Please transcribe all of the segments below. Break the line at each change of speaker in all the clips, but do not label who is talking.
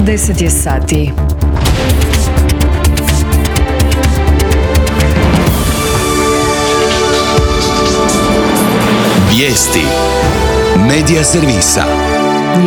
10 je sati.
Vijesti Medija servisa.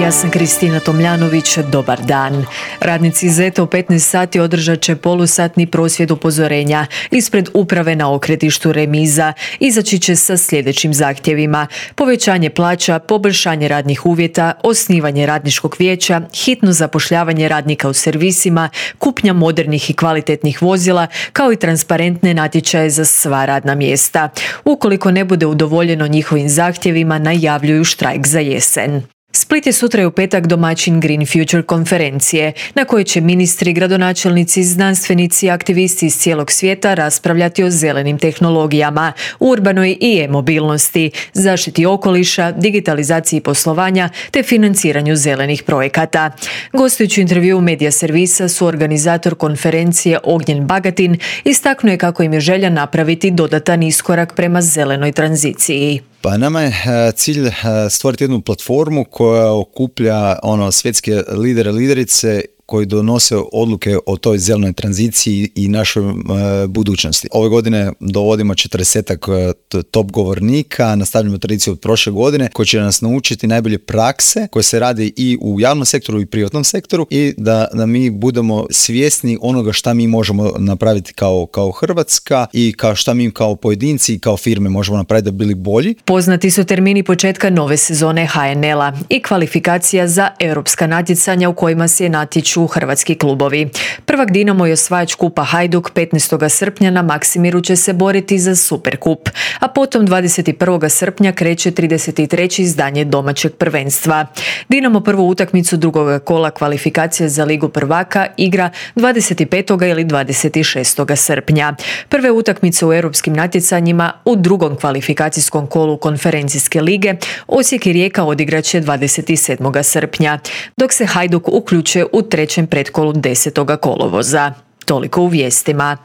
Ja sam Kristina Tomljanović, dobar dan. Radnici ZET-a u 15 sati održat će polusatni prosvjed upozorenja ispred uprave na okretištu Remiza. Izaći će sa sljedećim zahtjevima: povećanje plaća, poboljšanje radnih uvjeta, osnivanje radničkog vijeća, hitno zapošljavanje radnika u servisima, kupnja modernih i kvalitetnih vozila, kao i transparentne natječaje za sva radna mjesta. Ukoliko ne bude udovoljeno njihovim zahtjevima, najavljuju štrajk za jesen. Split je sutra i u petak domaćin Green Future konferencije, na kojoj će ministri, gradonačelnici, znanstvenici i aktivisti iz cijelog svijeta raspravljati o zelenim tehnologijama, urbanoj i e-mobilnosti, zaštiti okoliša, digitalizaciji poslovanja te financiranju zelenih projekata. Gostujući u intervjuu Medija servisa suorganizator konferencije Ognjen Bagatin istaknuo je kako im je želja napraviti dodatan iskorak prema zelenoj tranziciji.
Pa nama je cilj stvoriti jednu platformu koja okuplja svjetske lidere, liderice koji donose odluke o toj zelenoj tranziciji i našoj budućnosti. Ove godine dovodimo 40-ak top govornika, nastavljamo tradiciju od prošle godine, koji će nas naučiti najbolje prakse koje se radi i u javnom sektoru i privatnom sektoru i da mi budemo svjesni onoga šta mi možemo napraviti kao Hrvatska i šta mi kao pojedinci i kao firme možemo napraviti da bili bolji.
Poznati su termini početka nove sezone HNL-a i kvalifikacija za europska natjecanja u kojima se natječu hrvatski klubovi. Prvak Dinamo i osvajač kupa Hajduk 15. srpnja na Maksimiru će se boriti za Superkup, a potom 21. srpnja kreće 33. izdanje domaćeg prvenstva. Dinamo prvu utakmicu drugog kola kvalifikacije za Ligu prvaka igra 25. ili 26. srpnja. Prve utakmice u europskim natjecanjima u drugom kvalifikacijskom kolu konferencijske lige Osijek i Rijeka odigraće 27. srpnja, dok se Hajduk uključuje u trećem pretkolu 10. kolovoza. Toliko u vijestima.